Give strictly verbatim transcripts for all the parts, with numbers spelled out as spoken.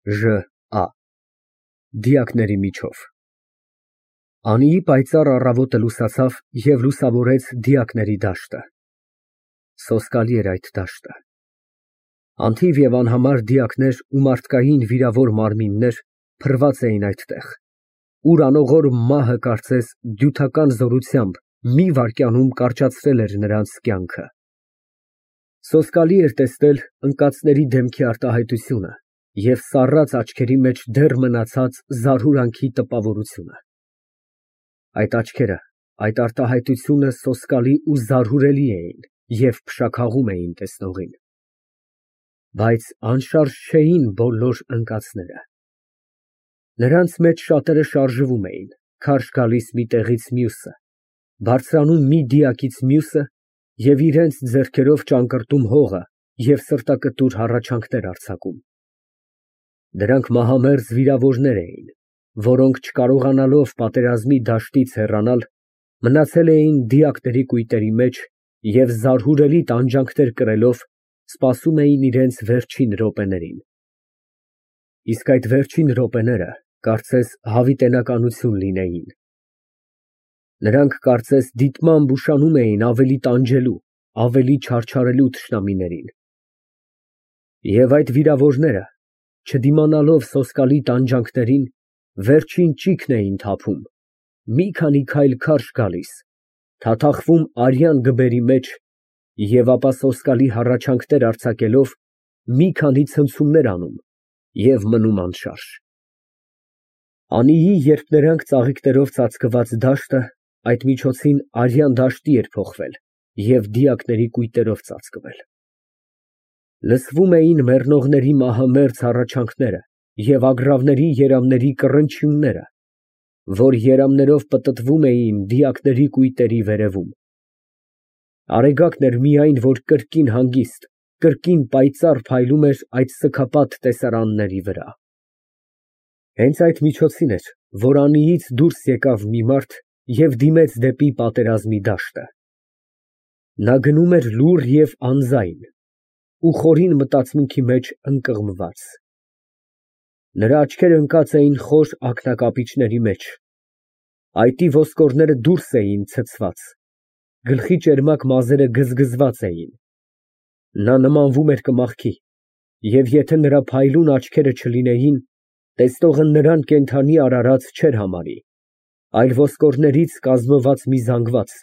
Ժ Ա Դիակների միջով Անիի պայծառ առավոտը լուսացավ և լուսավորեց դիակների դաշտը։ Սոսկալի էր այդ դաշտը։ Անթիվ և անհամար դիակներ ու մարդկային վիրավոր մարմիններ փռված էին այդտեղ, ուր անողորմ մահը կարծես դյութական զորությամբ մի վայրկյանում կարճացրել էր նրանց կյանքը։ Սոսկալի էր տեսնել ընկածների դեմքի արտահայտությունը և սառած աչքերի մեջ դեռ մնացած զարհուրանքի տպավորությունը։ Այդ աչքերը, այդ արտահայտությունը սոսկալի ու զարհուրելի էին և փշաքաղում էին տեսնողին։ Բայց անշարժ չէին բոլոր ընկածները։ Նրանց մեջ շատերը շարժվում էին, քարշ գալիս մի տեղից մյուսը, բարձրանում մի դիակից մյուսը և իրենց ձեռքերով ճանկրտում հողը և սրտակտուր հառաչանքներ արձակում։ Դրանք մահամերձ վիրավորներ էին, որոնք, չկարողանալով պատերազմի դաշտից հեռանալ, մնացել էին դիակների կույտերի մեջ և զարհուրելի տանջանքներ կրելով սպասում էին իրենց վերջին րոպեներին։ Իսկ այդ վերջին րոպեները կարծես հավիտենականություն լինեին։ Նրանք կարծես դիտմամբ ուշանում էին ավելի տանջելու, ավելի չարչարելու թշնամիներին։ Եվ այդ վիրավորները, չդիմանալով սոսկալի տանջանքներին, վերջին ճիգն էին թափում, մի քանի քայլ քարշ գալիս, թաթախվում արյան գբերի մեջ և ապա սոսկալի հառաչանքներ արձակելով մի քանի ցնցումներ անում և մնում անշարժ։ Անիի երբ նրանք ծաղիկներով ծածկված դաշտը այդ միջոցին արյան դաշտի էր փոխվել և դիակների կույտերով ծածկվել։ Լսվում էին մեռնողների մահամերձ հառաչանքները և ագռավների երամների կռնչյունները, որ երամներով պտտվում էին դիակների կույտերի վերևում։ Արեգակն էր միայն, որ կրկին հանգիստ, կրկին պայծառ փայլում էր այդ սգապատ տեսարանների վրա։ Հենց այդ միջոցին էր, որ Անիից դուրս եկավ մի մարդ և դիմեց դեպի պատերազմի դաշտը։ Նա գնում էր լուռ և անձայն ու խորին մտածմունքի մեջ ընկղմված։ Նրա աչքերը ընկած էին խոր ակնակապիճների մեջ, այտի ոսկորները դուրս էին ցցված, գլխի ճերմակ մազերը գզգզված էին։ Նա նմանվում էր կմախքի, և եթե նրա փայլուն աչքերը չլինեին, տեսնողը նրան կենդանի արարած չէր համարի, այլ ոսկորներից կազմված մի զանգված,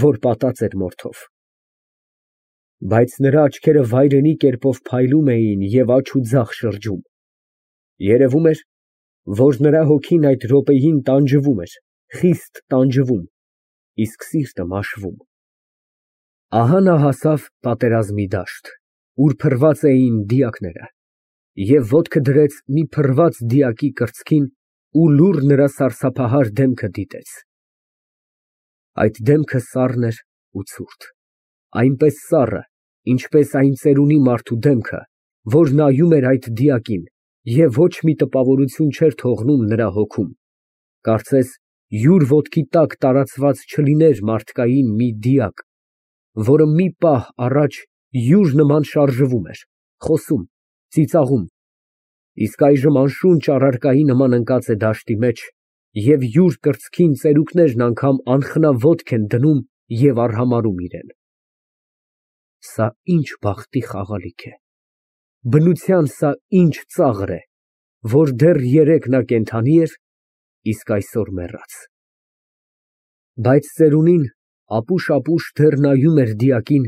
որ պատած էր մորթով։ Բայց նրա աչքերը վայրենի կերպով փայլում էին և աջ ու ձախ շրջում։ Երևում էր, որ նրա հոգին այդ րոպեին տանջվում էր, խիստ տանջվում, իսկ սիրտը մաշվում։ Ահա նա հասավ պատերազմի դաշտ, ուր փռված էին դիակները, և ոտքը դրեց մի փռված դիակի կրծքին ու լուռ նրա սարսափահար դեմքը դիտեց։ Այդ դեմքը սառն էր ու ցուրտ, այնպես սառը, ինչպես այն ծերունի մարդու դեմքը, որ նայում էր այդ դիակին և ոչ մի տպավորություն չէր թողնում նրա հոգում, կարծես յուր ոտքի տակ տարածված չլիներ մարդկային մի դիակ, որը մի պահ առաջ յուր նման շարժվում էր, խոսում, ծիծաղում, իսկ այժմ անշունչ առարկայի նման ընկած է դաշտի մեջ և յուր կրծքին ծերուկներն անգամ անխնա ոտք են դնում և արհամարհում իրան։ Սա ինչ բախտի խաղալիք է, բնության սա ինչ ծաղր է, որ դեռ երեկ նա կենդանի էր, իսկ այսօր մեռած։ Բայց ծերունին ապուշ֊ապուշ դեռ նայում էր դիակին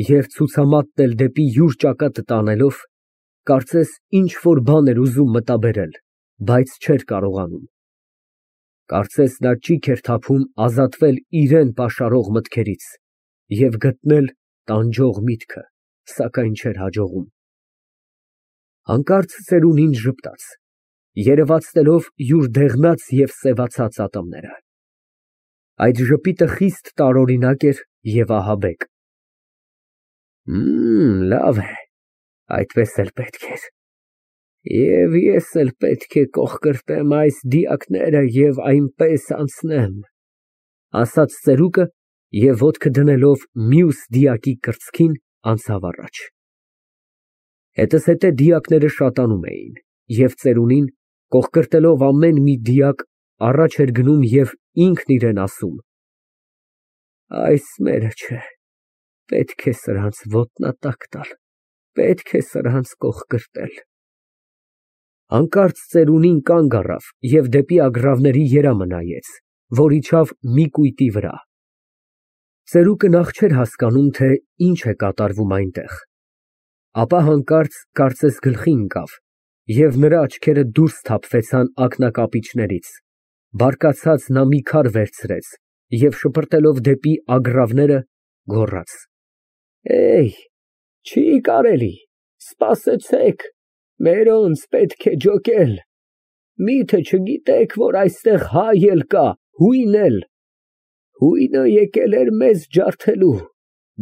և ցուցամատն էլ դեպի յուր ճակատը տանելով, կարծես ինչ֊որ բան էր ուզում մտաբերել, բայց չէր կարողանում։ Կարծես նա ճիգ էր թափում ազատվել իրան պաշարող մտքերից և գտնել տանջող միտքը, սակայն չէր հաջողում։ Հանկարծ ծերունին ժպտաց, երևացնելով յուր դեղնած և սևացած ատամները։ Այդ ժպիտը խիստ տարօրինակ էր և ահաբեկ։ Լավ է, այդպես էլ պետք էր, և ես էլ պետք է կոխկրտեմ այս դիակները և այնպես անցնեմ, ասաց ծերուկը և ոտքը դնելով մյուս դիակի կրծքին, անցավ առաջ։ Հետզհետե դիակները շատանում էին, և ծերունին, կոխկրտելով ամեն մի դիակ, առաջ էր գնում և ինքն իրան ասում. «Այս մերը չէ, պետք է սրանց ոտնատակ տալ, պետք է սրանց կոխկրտել»։ Հանկարծ ծերունին կանգ առավ և դեպի ագռավների երամը նայեց, որ իջավ մի կույտի վրա։ Ծերուկը նախ չէր հասկանում, թե ինչ է կատարվում այնտեղ, ապա հանկարծ կարծես գլխի ընկավ, և նրա աչքերը դուրս թափվեցան ակնակապիճներից, բարկացած նա մի քար վերցրեց և շպրտելով դեպի ագռավները, գոռաց. Չի կարելի, սպասեցեք, մերոնց պետք է ջոկել, միթե չգիտեք, որ այստեղ հայ էլ կա, հույն էլ, հույնը եկել էր մեզ ջարդելու,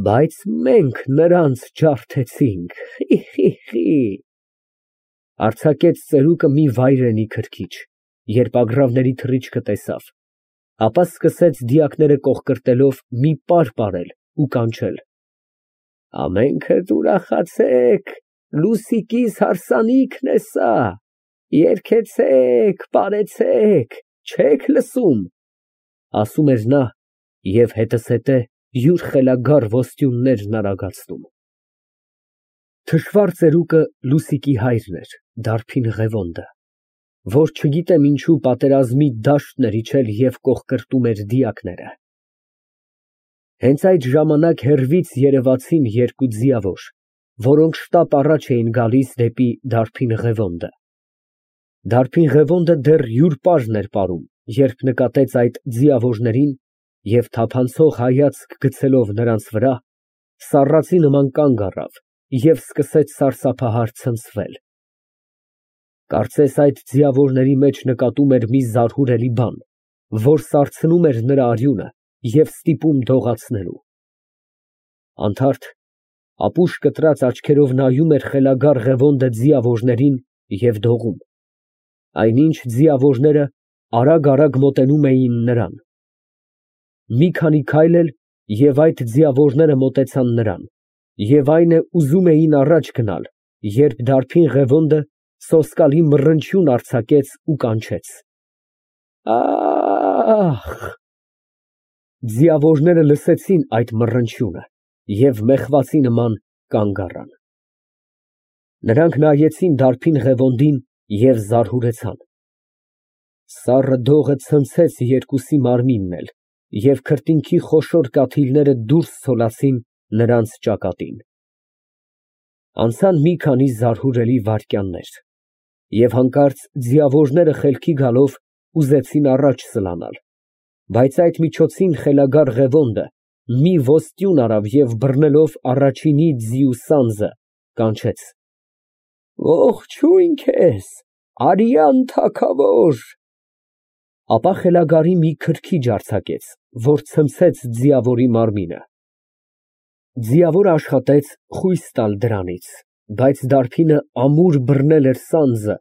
բայց մենք նրանց ջարդեցինք, խի, խի, խի։ Արձակեց ծերուկը մի վայրենի քրքիջ, երբ ագռավների թռիչքը տեսավ, ապա սկսեց դիակները կոխկրտելով մի պար պարել ու կանչել. Ամենքդ ուրախացեք, Լուսիկիս հարսանիքն է սա, երգեցեք, պարեցեք, չե՞ք լսում, ասում էր նա և հետզհետե յուր խելագար ոսტյուններն արագացնում։ Թշվառ ծերուկը Լուսիկի հայրն էր, դարբին Ղևոնդը, որ չգիտեմ ինչու պատերազմի դաշտն էր իջել և կոխկրտում էր դիակները։ Հենց այդ ժամանակ հեռվից երևացին երկու ձիավոր, որոնք շտապ առաջ էին գալիս դեպի դարբին Ղևոնդը։ Դարբին Ղևոնդը դեռ յուր պարն էր պարում, երբ նկատեց այդ ձիավորներին և թափանցող հայացք գցելով նրանց վրա, սառածի նման կանգ առավ և սկսեց սարսափահար ցնցվել։ Կարծես այդ ձիավորների մեջ նկատում էր մի զարհուրելի բան, որ սարցնում էր նրա արյունը և ստիպում դողացնելու։ Անթարթ, ապուշ կտրած աչքերով նայում էր խելագար Ղևոնդը ձիավորներին և դողում, այնինչ ձիավորները արագ֊արագ մոտենում էին նրան։ Մի քանի քայլ էլ, և այդ ձիավորները մոտեցան նրան, և այն է ուզում էին առաջ գնալ, երբ դարբին Ղևոնդը սոսկալի մռնչյուն արձակեց ու կանչեց. Ա՜խ։ Ձիավորները լսեցին այդ մռնչյունը և մեղվացի նման կանգ առան։ Նրանք նայեցին դարբին Ղևոնդին և զարհուրեցան։ Սառը դողը ցնցեց երկուսի մարմինն էլ, և քրտինքի խոշոր կաթիլները դուրս ցոլացին նրանց ճակատին։ Անցան մի քանի զարհուրելի վայրկյաններ, և հանկարծ ձիավորները խելքի գալով ուզեցին առաջ սլանալ, բայց այդ միջոցին խելագար Ղևոնդը մի ոստյուն արավ և բռնելով առաջինի ձիու սանձը, կանչեց. Ողջույն քեզ, արյան թագավոր։ Ապա խելագարի մի քրքիջ արձակեց, որ ցնցեց ձիավորի մարմինը։ Ձիավորը աշխատեց խույս տալ դրանից, բայց դարբինը ամուր բռնել էր սանձը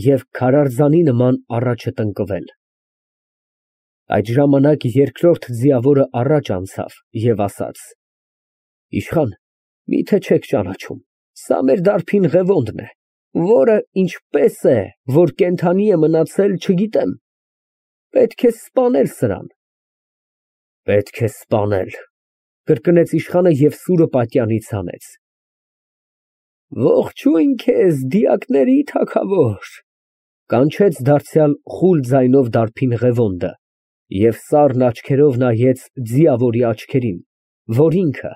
և քարարձանի նման առաջ է տնկվել։ Այդ ժամանակ երկրորդ ձիավորը առաջ անցավ և ասաց. Իշխան, միթե չեք ճանաչում, սա մեր դարբին Ղևոնդն է, որը ինչպես է, որ կենդանի է մնացել, չգիտեմ, պետք է սպանել սրան։ Պետք է սպանել, կրկնեց իշխանը և սուրը պատյանից հանեց։ Ողջույն քեզ, դիակների թագավոր, կանչեց դարձյալ խուլ ձայնով դարբին Ղևոնդը և սառն աչքերով նայեց ձիավորի աչքերին, որ ինքը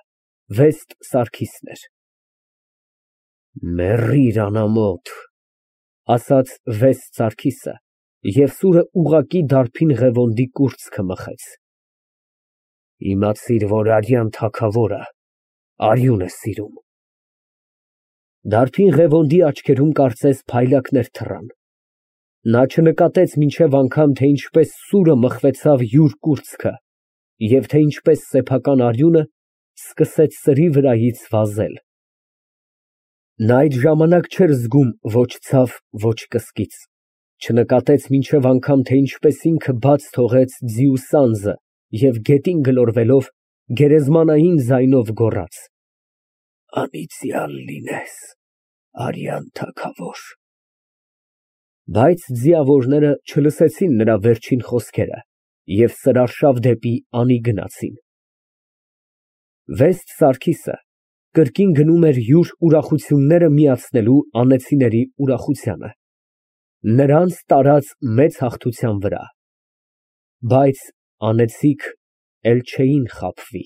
Վեստ Սարգիսն էր։ Մեռիր անամոթ, ասաց Վեստ Սարգիսը և սուրը ուղղակի դարբին Ղևոնդի կուրծքը մխեց։ Իմացիր, որ արյան թագավորը արյուն է սիրում։ Դարբին Ղևոնդի աչքերում կարծես փայլակներ թռան։ Նա չնկատեց մինչև անգամ, թե ինչպես սուրը մխվեցավ յուր կուրծքը և թե ինչպես սեփական արյունը սկսեց սրի վրայից վազել։ Նա այդ ժամանակ չէր զգում ոչ ցավ, ոչ կսկիծ, չնկատեց մինչև անգամ, թե ինչպես ինքը բաց թողեց ձիու սանձը և գետին գլորվելով գերեզմանային ձայնով գոռաց. Անիծյալ լինես, արյան թագավոր։ Բայց ձիավորները չլսեցին նրա վերջին խոսքերը և սրարշավ դեպի Անի գնացին։ Վեստ Սարգիսը կրկին գնում էր յուր ուրախությունները միացնելու անեծիների ուրախությանը, նրանց տարած մեծ հաղթության վրա, բայց անեծիք էլ չէին խաբվի։